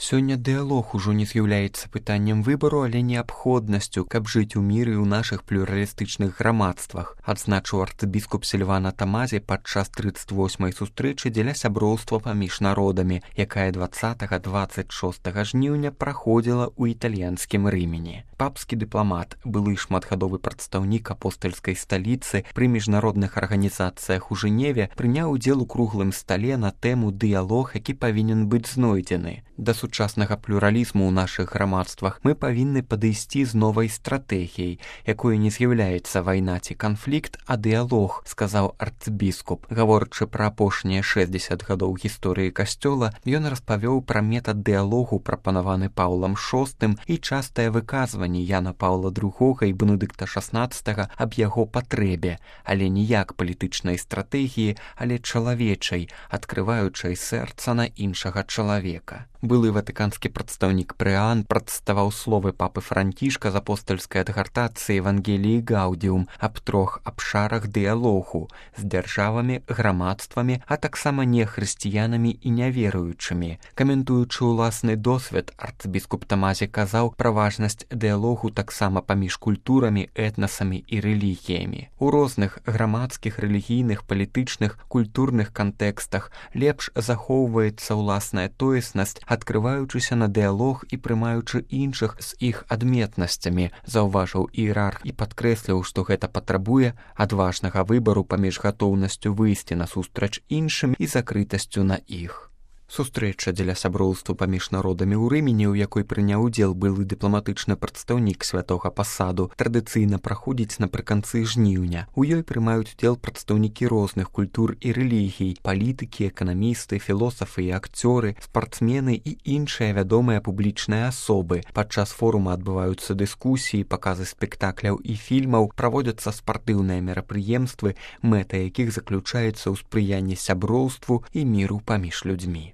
Сёння дыялог ужо не з'яўляецца пытаннем выбару, але неабходнасцю, каб жыць у міры ў нашых плюралістычных грамадствах, адзначыў арцыбіскуп Сільвана Тамазі падчас 38-й сустрэчы дзеля сяброўства паміж народамі, якая 20-26 жніўня праходзіла ў італьянскім Рымені. Папскі дыпламат, былы шматгадовы прадстаўнік апостальскай сталіцы пры міжнародных арганізацыях у Жэневе, прыняў удзел у круглым стале на тэму «Дыялог, які павінен быць знойдзены». Да сучаснага плюралізму ў нашых грамадствах мы павінны падысці з новай стратэгіяй, якой не з'яўляецца вайна ці канфлікт, а дыялог, сказаў арцыбіскуп. Гаворачы пра апошнія 60 гадоў гісторыі касцёла, ён распавёў пра метад дыялогу, прапанаваны Паўлам VI, і частае выказванне Яна Паўла II і Бенедыкта XVI аб яго патрэбе, але не як палітычнай стратэгіі, але чалавечай, адкрываючай сэрца на іншага чалавека. Былы ватыканскі прадстаўнік Прыан прадставаў словы папы Францішка з апостальскай адгартацыі Евангеліі Гаудіум аб 3 абшарах дыялогу з дзяржавамі, грамадствамі, а таксама нехрысціянамі і няверуючымі. Каментуючы ўласны досвед, арцыбіскуп Тамазі казаў пра важнасць дыялогу таксама паміж культурамі, этнасамі і рэлігіямі. У розных грамадскіх, рэлігійных, палітычных, культурных кантэкстах лепш захоўваецца ўласная тоеснасць, адкрываючыся на дыялог і прымаючы іншых з іх адметнасцямі, заўважыў іерарх і падкрэсліў, што гэта патрабуе адважнага выбару паміж гатоўнасцю выйсці насустрач іншым і закрытасцю на іх. Сустрэча дзеля сяброўства паміж народамі ў Рымені, у якой прыняў удзел былы дыпламатычны прадстаўнік святога пасаду, традыцыйна праходзіць напрыканцы жніўня. У ёй прымаюць удзел прадстаўнікі розных культур і рэлігій, палітыкі, эканамісты, філосафы і акцёры, спартсмены і іншыя вядомыя публічныя асобы. Падчас форума адбываюцца дыскусіі, паказы спектакляў і фільмаў, праводзяцца спартыўныя мерапрыемствы, мэта якіх заключаецца ў спрыянні сяброўству і міру паміж людзьмі.